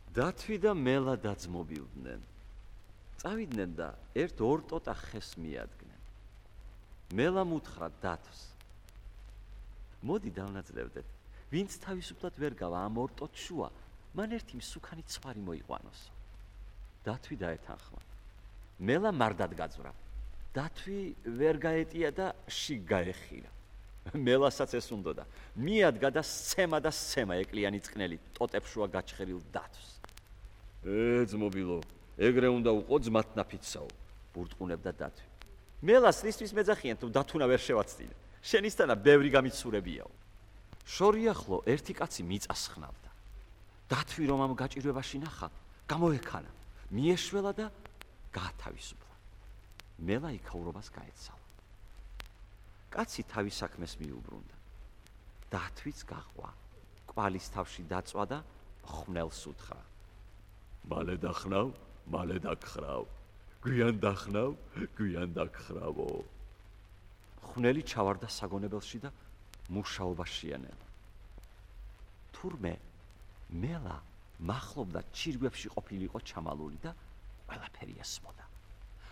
დათვი და მელა დაძმობილდნენ. წავიდნენ და ერთ-ორ ტოტა ხეს მიადგნენ. მელამ უთხრა დათვს: მოდი დავნაძლევდეთ, ვინც თავისუფლად ვერ გავა ამ ორ ტოტ შუა, მან ერთი მსუქანი ცხვარი მოიყვანოსო. დათვი დაეთანხმა. მელა მარდად გაძვრა. დათვი ვერ გაეტია და შიგ გაეხირა. მელასაც ეს უნდოდა. მიადგა და სცემა ეკლიანი წყნელი ტოტებს შუა გაჩხერილ დათვს. ძმობილო, ეგრე უნდა უყო ძმათნაფიცსაო, ბურტყუნებდა დათვი. მელას რისთვის მეძახიან თუ დათუნა ვერ შევაცდინე? შენისთანა ბევრი გამიცურებიაო. შორიახლო ერთი კაცი მიწას ხნავდა. დათვი რომ ამ გაჭირვებაში ნახა, გამოექანა, მიეშველა და გაათავისუფლა. მელა იქაურობას გაეცალა. კაცი თავის საქმეს მიუბრუნდა. დათვიც გაყვა, კვალის თავში დაწვა და ხვნელს უთხრა: მალე დახნავ, მალე დაგხრავ. გვიან დახნავ, გვიან დაგხრავო. ხვნელი ჩავარდა საგონებელში და მუშაობა შეანელა. თურმე მელა მახლობდა ჩირგვებში ყოფილიყო ჩამალული და ყველაფერი ესმოდა.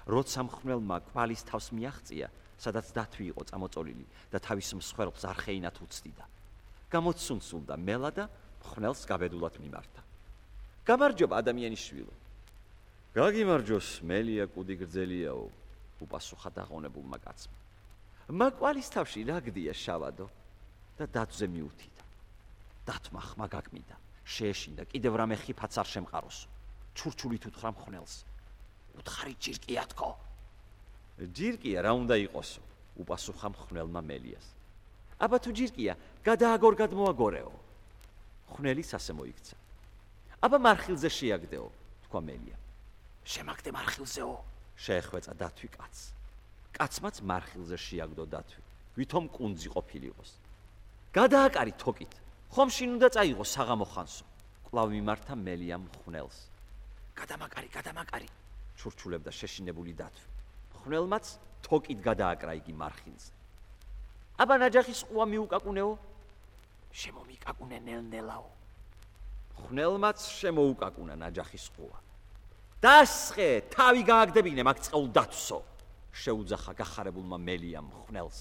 როცა ხვნელმა კვალის თავს მიაღწია, სადაც დათვი იყო წამოწოლილი და თავის მსხვერპლს არხეინად უცდიდა. გამოცუნცულდა მელა და ხვნელს გაბედულად მიმართა. გამარჯობა ადამიანიშვილო. გაგიმარჯოს, მელია კუდი გრძელიაო, უპასუხა დაღონებულმა კაცმა. მაკვალის თავში რა გდია შავადო და დათვზე მიუთიდა. დათვმა ხმა გაკმიდა, შეეშინდა, კიდევ რამე ხიფაც არ შემყაროსო. ჩურჩულით უთხრა ხვნელს: უთხარი ჯირკია თქო. ჯირკია რა უნდა იყოსო, უპასუხა ხვნელმა მელიას. აბა თუ ჯირკია, გადააგორ გადმოაგორეო. ხვნელის ასე მოიქცა. აბა მარხილზე შეაგდეო, თქვა მელია. შემაგდე მარხილზეო, შეეხვეწა დათვი კაცს. კაცმაც მარხილზე შეაგდო დათვი, ვითომ კუნძი ყოფილიყოს. გადააკარი თოკით, ხომ შინ უნდა წაიღო საღამო ხანსო. კვლავ მიმართა მელიამ ხვნელს. გადამაკარი, ჩურჩულებდა შეშინებული დათვი. ხვნელმაც თოკით გადააკრა იგი მარხილზე. აბა ნაჯახის ყუა მიუკაკუნეო, შემომიკაკუნე ნელ-ნელაო. ხვნელმაც შემოუკაკუნა ნაჯახის ყუა. დასხე, თავი გააგდებინე მაგ წყეულ დათვსო, შეუძახა გახარებულმა მელიამ ხვნელს.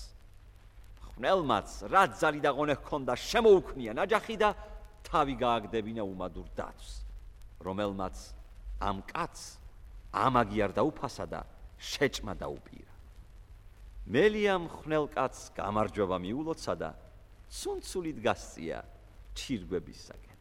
ხვნელმაც რა ძალი და ღონე ჰქონდა, შემოუქმნია ნაჯახი და თავი გააგდებინა უმადურ დათვს, რომელმაც ამ კაცს ამაგი არ დაუფასა და შეჭმა დაუპირა. მელიამ ხვნელ კაცს გამარჯვება მიულოცა და ცუნცულით გასწია ჩირგვებისაკენ.